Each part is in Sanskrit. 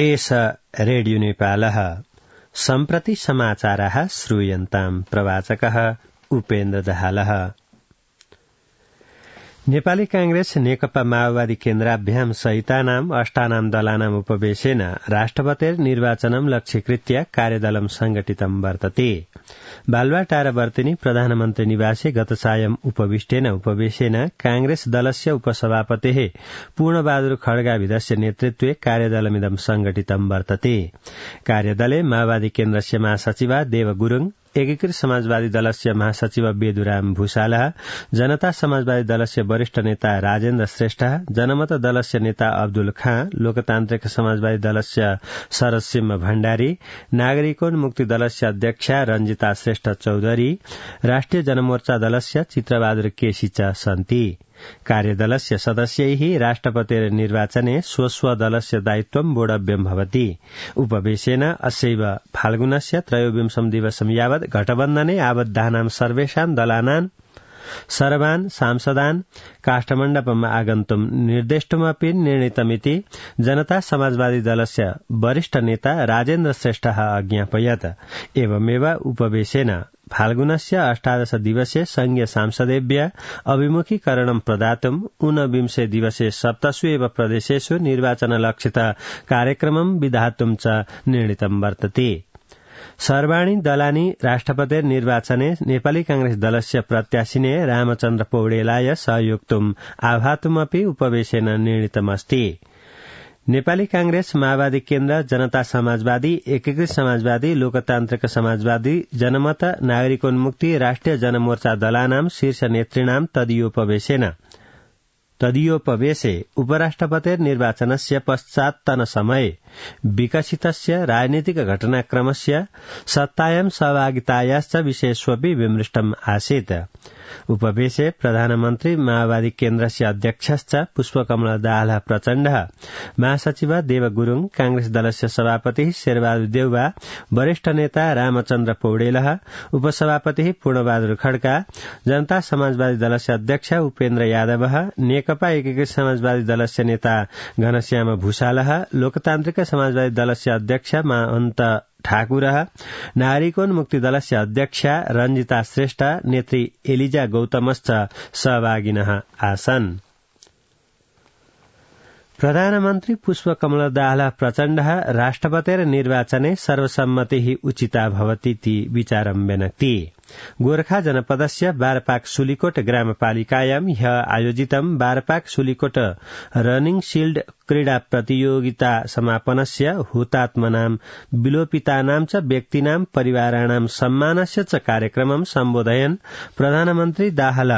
एष रेडियो नेपालः सम्प्रति समाचाराः श्रूयन्ताम् प्रवाचकः उपेन्द्र दाहालः। नेपाली कांग्रेस नेकपा माओवादी केन्द्राभ्याम सहितानाम् अष्टानां दलानाम् उपवेशेन राष्ट्रपतेर निर्वाचनं लक्ष्यीकृत्य कार्यदलं संघटितं वर्तते। बालुवाटारवर्तिनी प्रधानमन्त्री निवासे गत सायं उपवेशेन कांग्रेस दलस्य उपसभापतेः पूर्णबहादुर खड्गाविधस्य नेतृत्वे कार्यदलमिदं संघटितं वर्तते। कार्यदले माओवादी केन्द्रस्य महासचिव देव गुरुङ, एकीकृत समाजवादी दलस्य महासचिव बेदुराम भूषाला, जनता समाजवादी दलस्य वरिष्ठ नेता राजेन्द्र श्रेष्ठ, जनमत दलस्य नेता अब्दुल खाँ, लोकतान्त्रिक समाजवादी दलस्य शरदसिंह भण्डारी, नागरिकोन्मुक्ति दलस्य अध्यक्षा रंजिता श्रेष्ठ चौधरी, राष्ट्रिय जनमोर्चा दलस्य चित्रबहादुर केसी च सन्ति। कार्यदलस्य सदस्यैः राष्ट्रपतेर निर्वाचने स्वस्व दलस्य दायित्वं वोढव्यं भवति। उपवेशेन अस्यैव फाल्गुनस्य त्रयोविंशं दिवसं यावत् गठबन्धने आबद्धानां सर्वेषां दलानां सर्वान् सांसदान् काष्ठमण्डपम् आगन्तुम् निर्देष्टुमपि निर्णीतमिति जनता समाजवादी दलस्य वरिष्ठ नेता राजेन्द्र श्रेष्ठः अज्ञापयत्। एवमेव उपवेशेन फाल्गुनस्य 18 दिवसे संघीय सांसदेभ्य अभिमुखीकरणं प्रदातुम् 19 दिवसे 7 एव प्रदेशेषु निर्वाचनलक्षित कार्यक्रमं विधातुं च निर्णीतं वर्तते। सर्वाणि दलानि राष्ट्रपतेर निर्वाचने नेपाली कांग्रेस दलस्य प्रत्याशिने रामचन्द्र पौडेलाय सहयोक्तुम् आह्वातुमपि उपवेशेन निर्णीतमस्ति। नेपाली कांग्रेस, माओवादी केन्द्र, जनता समाजवादी, एकीकृत समाजवादी, लोकतान्त्रिक समाजवादी, जनमत, नागरिकोन्मुक्ति, राष्ट्रिय जनमोर्चा दलानां शीर्ष नेतॄणां तदीयोपवेशे उपराष्ट्रपतेर निर्वाचनस्य पश्चात्तनसमये विकसितस्य राजनीतिक घटनाक्रमस्य सत्तायां सहभागितायाश्च विषयेष्वपि विमृष्टम् आसीत्। उपवेशे प्रधानमन्त्री, माओवादी केन्द्रस्य अध्यक्षश्च पुष्पकमल दाहाल प्रचण्डः, महासचिव देव गुरुङ, कांग्रेस दलस्य सभापति शेरबहादुर देउवा, वरिष्ठ नेता रामचन्द्र पौडेलः, उपसभापति पूर्णबहादुर खड्का, जनता समाजवादी दलस्य अध्यक्ष उपेन्द्र यादवः, नेकपा एकीकृत समाजवादी दलस्य नेता घनश्याम भूषालः, लोकतान्त्रिक समाजवादी दलस्य अध्यक्ष महन्त ठाकुरः, नागरिकोन्मुक्ति दलस्य अध्यक्षा रंजिता श्रेष्ठ, नेत्री एलिजा गौतमश्च सहभागिनः आसन्। प्रधानमन्त्री पुष्पकमल दाहाल प्रचण्डः राष्ट्रपतेर निर्वाचने सर्वसम्मतिः उचिता भवतीति विचारं व्यनक्ति। गोरखा जनपदस्य बारपाक सुलिकोट ग्रामपालिकायां ह्यः आयोजितं बारपाक सुलिकोट रनिंग शील्ड क्रीडा प्रतियोगिता समापनस्य हुतात्मनां विलोपितानां च व्यक्तीनां परिवाराणां सम्मानस्य च कार्यक्रमं सम्बोधयन् प्रधानमन्त्री दाहाल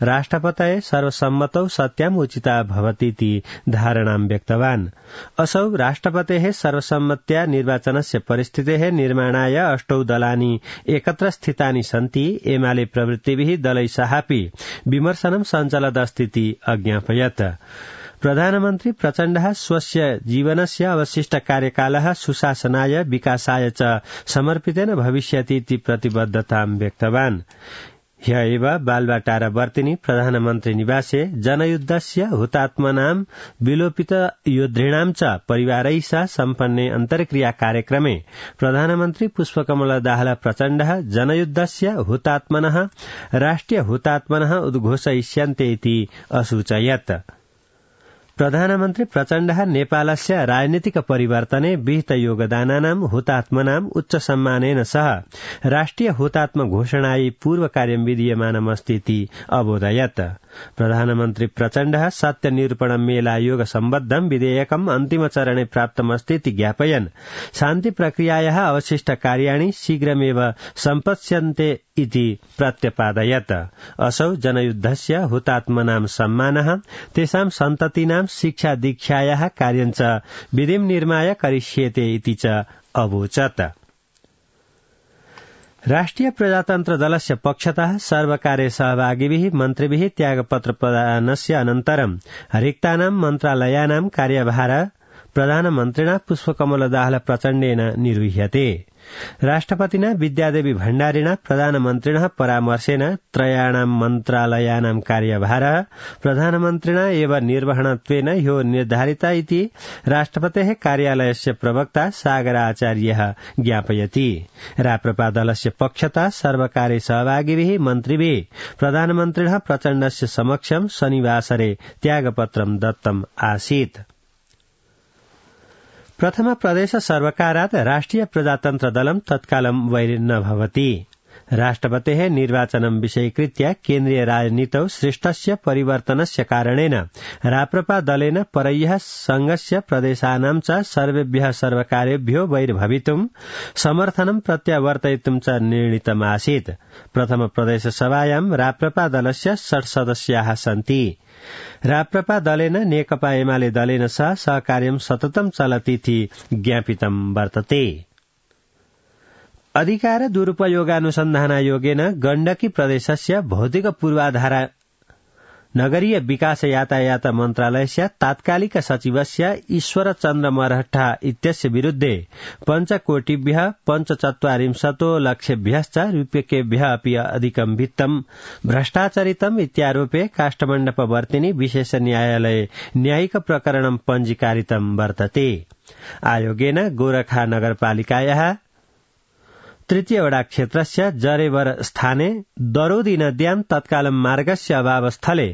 राष्ट्रपतये सर्वसम्मतौ सत्याम् उचिता भवतीति धारणां व्यक्तवान्। असौ राष्ट्रपतेः सर्वसम्मत्या निर्वाचनस्य परिस्थितेः निर्माणाय 8 दलानि एकत्र स्थितानि सन्ति। एमाले प्रवृत्तिभिः दलैस्साहापि विमर्शनं सञ्चलदस्तीति अज्ञापयत्। प्रधानमन्त्री प्रचण्डः स्वस्य जीवनस्य अवशिष्ट कार्यकालः सुशासनाय विकासाय च समर्पितेन भविष्यतीति प्रतिबद्धतां व्यक्तवान्। ह्यः एव बालुवाटारवर्तिनी प्रधानमन्त्री निवासे जनयुद्धस्य हुतात्मनां विलोपित योद्धॄणां च परिवारैः सह सम्पन्ने अन्तर्क्रिया कार्यक्रमे प्रधानमन्त्री पुष्पकमल दाहाल प्रचण्डः जनयुद्धस्य हुतात्मनः राष्ट्रिय हुतात्मनः उद्घोषयिष्यन्ते इति असूचयत्। प्रधानमन्त्री प्रचण्डः नेपालस्य राजनीतिक परिवर्तने विहित योगदानानां हुतात्मनां उच्च सम्मानेन सह राष्ट्रिय हुतात्म घोषणायै पूर्व कार्यं विधीयमानमस्तीति अबोधयत्। प्रधानमन्त्री प्रचण्डः सत्य निरूपण मेलायोग सम्बद्धं विधेयकम् अन्तिम चरणे प्राप्तमस्तीति ज्ञापयन् शान्ति प्रक्रियायाः अवशिष्ट कार्याणि शीघ्रमेव सम्पत्स्यन्ते इति प्रत्यपादयत्। असौ जनयुद्धस्य हुतात्मनां सम्मानः तेषां सन्ततीनां शिक्षा दीक्षायाः कार्यं च विधिं निर्माय करिष्येते इति च अवोचत्। राष्ट्रिय प्रजातन्त्र दलस्य पक्षतः सर्वकार्य सहभागिभिः मन्त्रिभिः त्यागपत्र प्रदानस्य अनन्तरं रिक्तानां मन्त्रालयानां कार्यभार प्रधानमन्त्रिणा पुष्पकमल दाहाल प्रचण्डेन निर्वह्यते। राष्ट्रपतिना विद्यादेवी भण्डारिणा प्रधानमन्त्रिणः परामर्शेन त्रयाणां मन्त्रालयानां कार्यभारः प्रधानमन्त्रिणा एव निर्वहणत्वेन ह्यो निर्धारिता इति राष्ट्रपतेः कार्यालयस्य प्रवक्ता सागराचार्यः ज्ञापयति। राप्रपा दलस्य पक्षतः सर्वकारे सहभागिभिः मन्त्रिभिः प्रधानमन्त्रिणः प्रचण्डस्य समक्षं शनिवासरे त्यागपत्रं दत्तम् आसीत्। प्रथम प्रदेश सर्वकारात् राष्ट्रिय प्रजातन्त्र दलं तत्कालं वैरिन्न भवति। राष्ट्रपतेः निर्वाचनं विषयीकृत्य केन्द्रीय राजनीतौ सृष्टस्य परिवर्तनस्य कारणेन राप्रपा दलेन परह्यः संघस्य प्रदेशानां च सर्वेभ्यः सर्वकारेभ्यो वैर्भवितुं समर्थनं प्रत्यावर्तयितुं च निर्णीतमासीत्। प्रथम प्रदेश सभायां राप्रपा दलस्य 60 सदस्याः सन्ति। राप्रपा दलेन नेकपा एमाले दलेन सह सहकार्यं सततं चलतीति ज्ञापितं वर्तते। अधिकार दुरुपयोगानुसन्धानायोगेन गण्डकी प्रदेशस्य भौतिक पूर्वाधार नगरीय विकास यातायात मन्त्रालयस्य तात्कालिक सचिवस्य ईश्वर चन्द्र मरहट्टा इत्यस्य विरुद्धे 5 कोटिभ्यः 45 लक्षेभ्यश्च रूप्यकेभ्यः अपि अधिकं वित्तं भ्रष्टाचरितम् इत्यारोपे काष्ठमण्डपवर्तिनि विशेष न्यायालये न्यायिक प्रकरणं पञ्जीकारितं वर्तते। आयोगेन गोरखा नगरपालिकायाः तृतीय वडा क्षेत्रस्य जरेवर स्थाने दरोदी नद्यां तत्कालं मार्गस्य अभावस्थले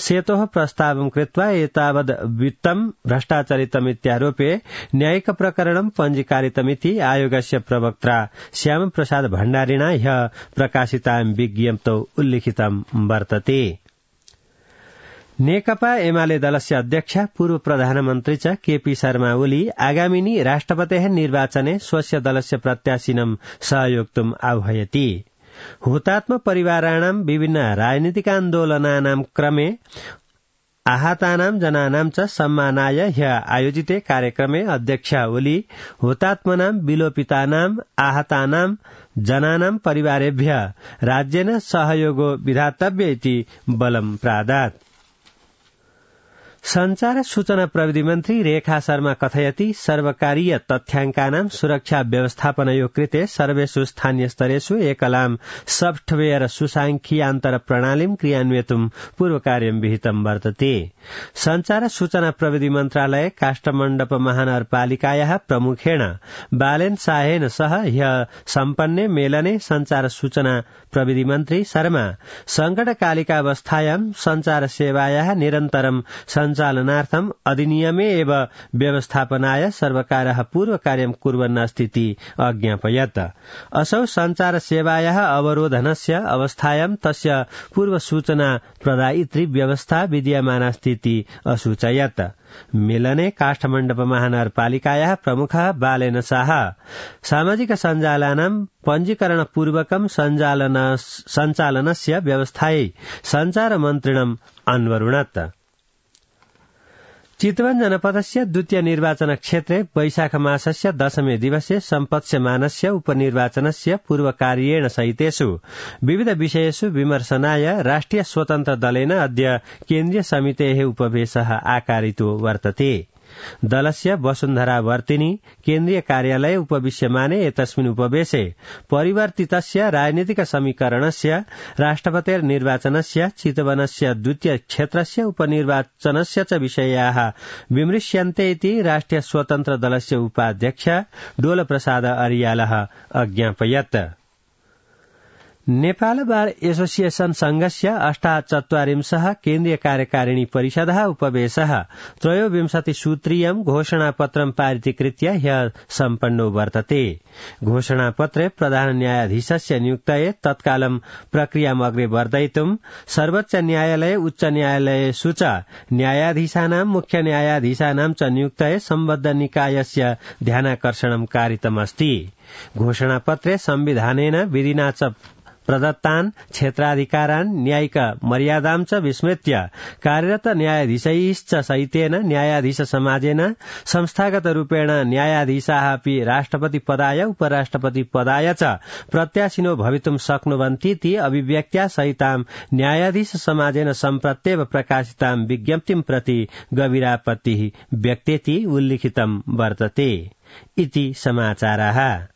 सेतोः प्रस्तावं कृत्वा एतावद् वित्तं भ्रष्टाचरितमित्यारोपे न्यायिक प्रकरणं पञ्जीकारितमिति आयोगस्य प्रवक्ता श्यामप्रसाद भण्डारिणा ह्यः प्रकाशितां विज्ञप्तौ उल्लिखितं वर्तते। नेकपा एमाले दलस्य अध्यक्ष पूर्व प्रधानमन्त्री च केपी शर्मा ओली आगामिनी राष्ट्रपतेः निर्वाचने स्वस्य दलस्य प्रत्याशिनं सहयोक्तुम् आह्वयति। हुतात्म परिवाराणां विभिन्न राजनीतिकान्दोलनानां क्रमे आहतानां जनानां च सम्मानाय ह्यः आयोजिते कार्यक्रमे अध्यक्ष ओली हुतात्मनां विलोपितानां आहतानां जनानां परिवारेभ्यः राज्येन सहयोगो विधातव्य इति बलं प्रादात्। संचार सूचना प्रविधि मन्त्री रेखा शर्मा कथयति सर्वकारीय तथ्याङ्कानां सुरक्षा व्यवस्थापनयो कृते सर्वेषु स्थानीय स्तरेषु एकलां सफ्टवेयर सुसाङ्ख्यियान्तर प्रणालीं क्रियान्वयितुं पूर्वकार्यं विहितं वर्तते। संचार सूचना प्रविधि मन्त्रालय काष्ठमण्डप महानगरपालिकायाः प्रमुखेण बालेन शाहेन सह ह्यः सम्पन्ने मेलने संचार सूचना प्रविधि मन्त्री शर्मा संकटकालिकावस्थायां संचार सेवायाः निरन्तरं सञ्चालनार्थम् अधिनियमे एव व्यवस्थापनाय सर्वकारः पूर्वकार्यं कुर्वन् अस्तीति अज्ञापयत्। असौ संचार सेवायाः अवरोधनस्य अवस्थायां तस्य पूर्वसूचना प्रदायित्री व्यवस्था विद्यमानास्तीति असूचयत्। मेलने काष्ठमण्डप महानगरपालिकायाः प्रमुखः बालेन शाह सामाजिक सञ्जालानां पञ्जीकरणपूर्वकं सञ्चालनस्य व्यवस्थायै सञ्चार मन्त्रिणम् अन्वरुणत्। चितवन जनपदस्य द्वितीय निर्वाचन क्षेत्रे वैशाख मासस्य 10मे दिवसे सम्पत्स्यमानस्य उपनिर्वाचनस्य पूर्वकार्येण सहितेषु विविध विषयेषु विमर्शनाय राष्ट्रिय स्वतन्त्र दलेन अद्य केन्द्रीय समितेः उपवेशः आकारितो वर्तते। दलस्य वसुन्धरा वर्तिनी केन्द्रीय कार्यालये उपविश्यमाने एतस्मिन् उपवेशे परिवर्तितस्य राजनीतिक समीकरणस्य राष्ट्रपतेर्निर्वाचनस्य चितवनस्य द्वितीय क्षेत्रस्य उपनिर्वाचनस्य च विषयाः विमृश्यन्ते इति राष्ट्रिय स्वतन्त्र दलस्य उपाध्यक्ष डोलप्रसाद अरियालः अज्ञापयत्। नेपाल बार एसोसिएशन संघस्य 48 केन्द्रीय कार्यकारिणी परिषदः उपवेशः 23 सूत्रीयं घोषणापत्रं पारितीकृत्य ह्यः सम्पन्नो वर्तते। घोषणापत्रे प्रधान न्यायाधीशस्य नियुक्तये तत्कालं प्रक्रियाम् अग्रे वर्धयितुं सर्वोच्च न्यायालय उच्च न्यायालयेषु च न्यायाधीशानां मुख्य न्यायाधीशानां च नियुक्तये सम्बद्ध निकायस्य ध्यानाकर्षणं कारितमस्ति। घोषणापत्रे संविधानेन विधिना च प्रदत्तान् क्षेत्राधिकारान् न्यायिक मर्यादां च विस्मृत्य कार्यरत न्यायाधीशैश्च सहितेन न्यायाधीश समाजेन संस्थागत रूपेण न्यायाधीशाः अपि राष्ट्रपति पदाय उपराष्ट्रपति पदाय च प्रत्याशिनो भवितुं शक्नुवन्तीति अभिव्यक्त्या सहितां न्यायाधीश समाजेन सम्प्रत्येव प्रकाशितां विज्ञप्तिं प्रति गभीरापत्तिः व्यक्तेति उल्लिखितं वर्तते इति समाचाराः।